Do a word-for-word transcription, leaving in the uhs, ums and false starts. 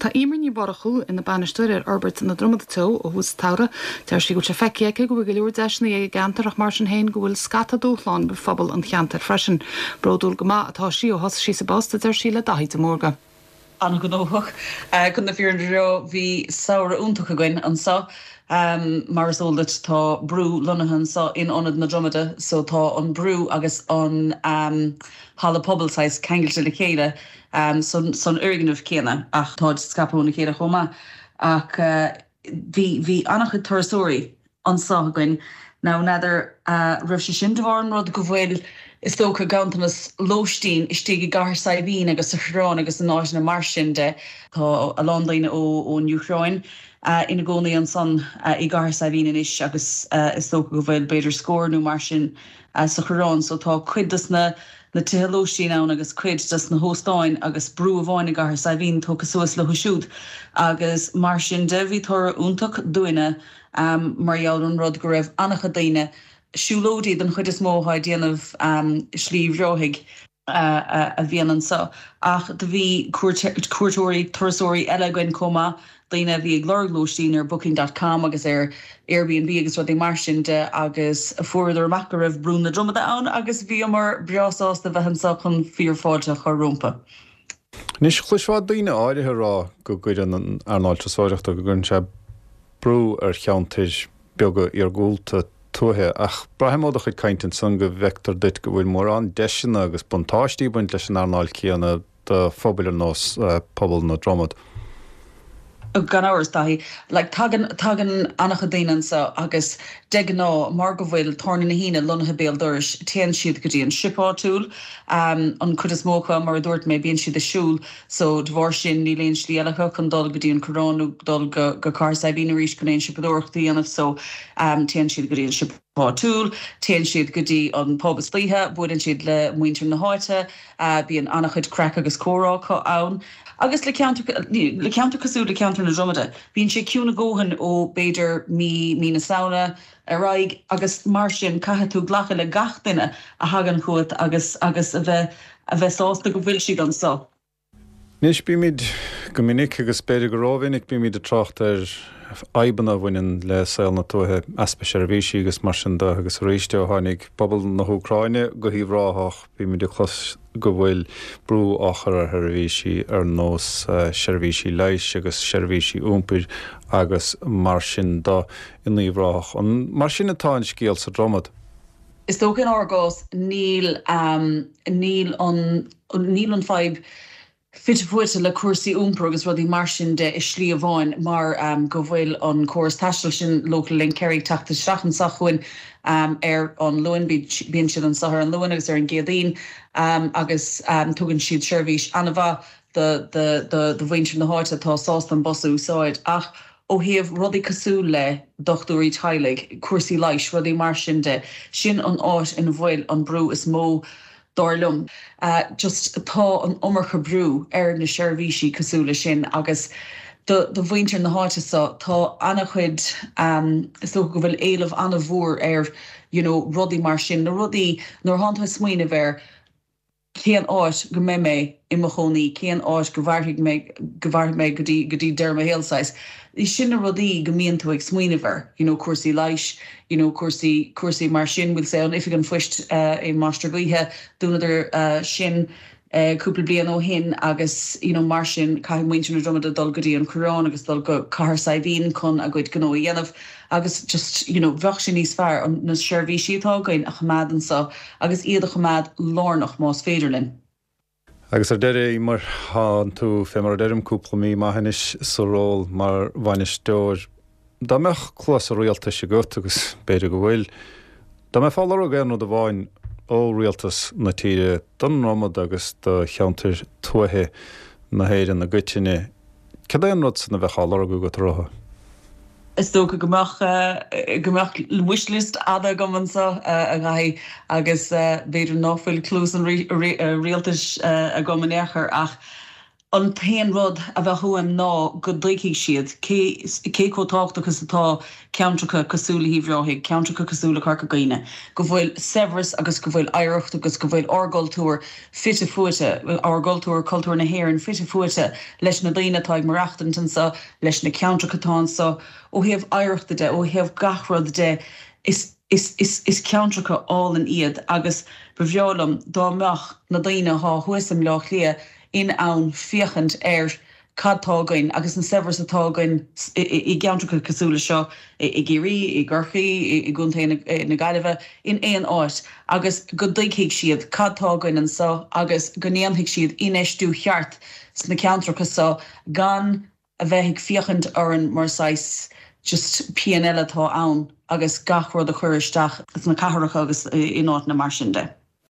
Tá Emer Ní Mhurchú ina bainisteoir ar Fhorbairt na Dromada Teo ó thús an tsamhraidh. Deir sí go bhfuil sé feicthe aici go bhfuil go leor deiseanna ag an gceantar ach mar sin féin go bhfuil scata dúshlán roimh phobal an cheantair freisin. Bródúil go maith atá sí ó thosaigh sí sa bpost a deir sí le Daithí de Mórdha. An-ghnóthach chun na fírinne a rá bhí samhradh iontach againn anseo. Um, mar is eol duit tá brú lonnaithe anseo in ionad na Dromada, so tá an brú agus an um, halla pobail saghas ceangailte le chéile um, san, san fhoirgneamh céanna ach tá scaipthe óna chéile chomh maith ach uh, bhí bhí an-chuid turasóirí anseo againn Now n'fheadar uh, raibh sé sin de bharr an rud go bhfuil is dócha ganntanas lóistín istigh i gCathair Saidhbhín agus sa Choireán agus in áiteanna mar sin de tá a lán daoine ó ón Úcráin uh, ina gcónaí ansan uh, i gCathair Saidhbhín anois agus uh, is dócha go bhfuil b'fhéidir scór nó mar sin uh, sa Choireán, so tá cuid des na na tithe lóistín ann agus cuid des na hóstáin agus brú amháin i gCathair Saidhbhín tógtha suas leo siúd agus mar sin de bhí toradh iontach dúinne um, mar gheall an rud go raibh an-chuid daoine siúlóidí den chuid is mó ag déanamh um, Slí Bhreathaigh uh, uh, a bhíonn anseo ach do bhí cuairteoirí turasóirí eile againn chomh maith daoine bhí ag lorg lóistín ar booking.com agus ar Airbnb agus rudaí mar sin de agus fuaireadar amach go raibh Brú na Dromada ann agus bhíomar breá sásta bheith anseo chun fíorfháilte a chur rompu. Anois chloisfeá daoine áirithe ag rá go gcuireann an earnáil turasóireachta go gcuireann sé brú ar cheantair beaga iargúlta tuaithe ach braithim ó do chuid cainte ansan go bhfeictear duit go bhfuil mórán deiseanna agus buntáistí ag baint leis an earnáil céanna do phobail ar nós uh, pobal na Dromad. Gan amhras Daithí like, tagann tagann an-chuid daoine anseo agus de ghnáth mar go bhfuil Tábhairne na hAoine lonnaithe béal dorais téann siad go dtí an siopa áitiúil um, an chuid is mó acu mar a dúirt mé bíonn siad ag siúl so de bharr sin níl aon slí eile chun dul go dtí an Coireán nó dul go go Cathair Saidhbhín arís chun aon siopadóireacht a dhéanamh so um, téann siad go dtí an siopa áitiúil, téann siad go dtí an pub istoíche, buaileann siad le muintir na háite, uh, bíonn an-chuid craic agus comhrá ann. Agus le le ceantar cosúil le ceantar na Dromada. Bíonn sé ciúin a dhóthain ó b'fhéidir mí mí na Samhna ar aghaidh agus mar sin caithfidh tú glacadh le gach duine a thagann chugat agus agus a bheith a bheith sásta go bhfuil siad anseo. Anois bímid go minic agus b'fhéidir go rómhinic bímid ag trácht ar fhadhbanna a bhaineann le saol na tuaithe easpa seirbhísí agus mar sin de agus arís ó tháinig pobal na hÚcráine go hUíbh Ráthach bímid ag clos go bhfuil brú á chur ar sheirbhísí ar nós eh, seirbhísí leighis agus seirbhísí iompair agus mar sin de in Uíbh Ráthach. An mar sin atá an scéal sa Dromad. Is dócha in ár gcás níl um, níl an níl an fadhb fite fuaite le cúrsaí iompair agus rudaí mar sin de i slí amháin mar um, go bhfuil an córas taistil sin Local Link Kerry teacht isteach anseo chugainn um, ar an Luan bíonn siad anseo ar an Luan agus ar an gCéadaoin um, agus um, tugann siad seirbhís an-mhaith do mhuintir na háite atá sásta an bus a úsáid ach ó thaobh rudaí cosúil le dochtúirí teaghlaigh, cúrsaí leighis, rudaí mar sin de, sin an áit ina bhfuil an brú is mó dar liom. Uh, just tá an iomarca brú ar na seirbhísí cosúil le sin agus do, do mhuintir na háite seo tá an-chuid um, is dócha go bhfuil éileamh an-mhór ar you know, rudaí mar sin na rudaí nuair atá tú ag smaoineamh ar cén áit go mbeidh mé i mo chónaí, cén áit go bhfaighidh mé go bhfaighidh mé go dtí go dtí deireadh mo shaoil saghas. Sin na rudaí go mbíonn tú ag smaoineamh air, you know, cúrsaí leighis, you know, cúrsaí cúrsaí mar sin bhfuil sé an oifig an phoist uh, i Mainistir Gaoithe dúnadar uh, sin uh, cúpla bliain ó shin agus you know, mar sin caithfidh muintir na Dromada dul go dtí an Coireán agus dul go Cathair Saidhbhín chun a gcuid gnó a dhéanamh agus just you know, bheadh sé níos fearr an na seirbhísí atá againn a choimeád anseo agus iad a choimeád lárnach más féidir linn. Agus ar deireadh mar tá tú fé mar a deirim cúpla mí maith anois sa ról mar bhainisteoir. Dá mbeadh cluas an rialtais agat agus b'fhéidir go bhfuil, Dá mbeifeá ag lorg aon rud amháin ó rialtas na tíre don Dromad agus do cheantair tuaithe na hÉireann i gcoitinne. Cad é an rud san a bheadh á lorg agat uathu? Is dócha go mbeadh go mbeadh wishlist fhada agam anseo a Dhaithí agus b'fhéidir nach bhfuil cluas an rialtais agam in aon chor ach An t-aon rud a bheadh uaim ná go dtuigfidh siad cé cé chomh tábhachtach is atá ceantracha cosúil le hUíbh Ráthaigh, ceantracha cosúil le Corca Dhuibhne, go bhfuil saibhreas agus go bhfuil oidhreacht agus go bhfuil ár gcultúr fite fuaite, ár gcultúr, cultúr na hÉireann fite fuaite leis na daoine atá ag maireachtaint anseo, leis na ceantracha atá anseo, ó thaobh oidhreachta de, ó thaobh gach rud de, is is is is ceantracha álainn iad agus ba bhreá liom dá mbeadh na daoine atá thuas i mBleá Cliath in ann féachaint ar cad tá againn agus an saibhreas atá againn i gceantracha cosúil le seo i gCiarraí, i gCorcaigh, i gContae na Gaillimhe, in aon áit agus go dtuigfidh siad cad tá againn anseo agus go ndéanfaidh siad infheistiú cheart sna ceantracha seo gan a bheith ag féachaint orainn mar saghas just pian eile atá ann agus gach rud a chur isteach sna cathracha agus in áiteanna mar sin de.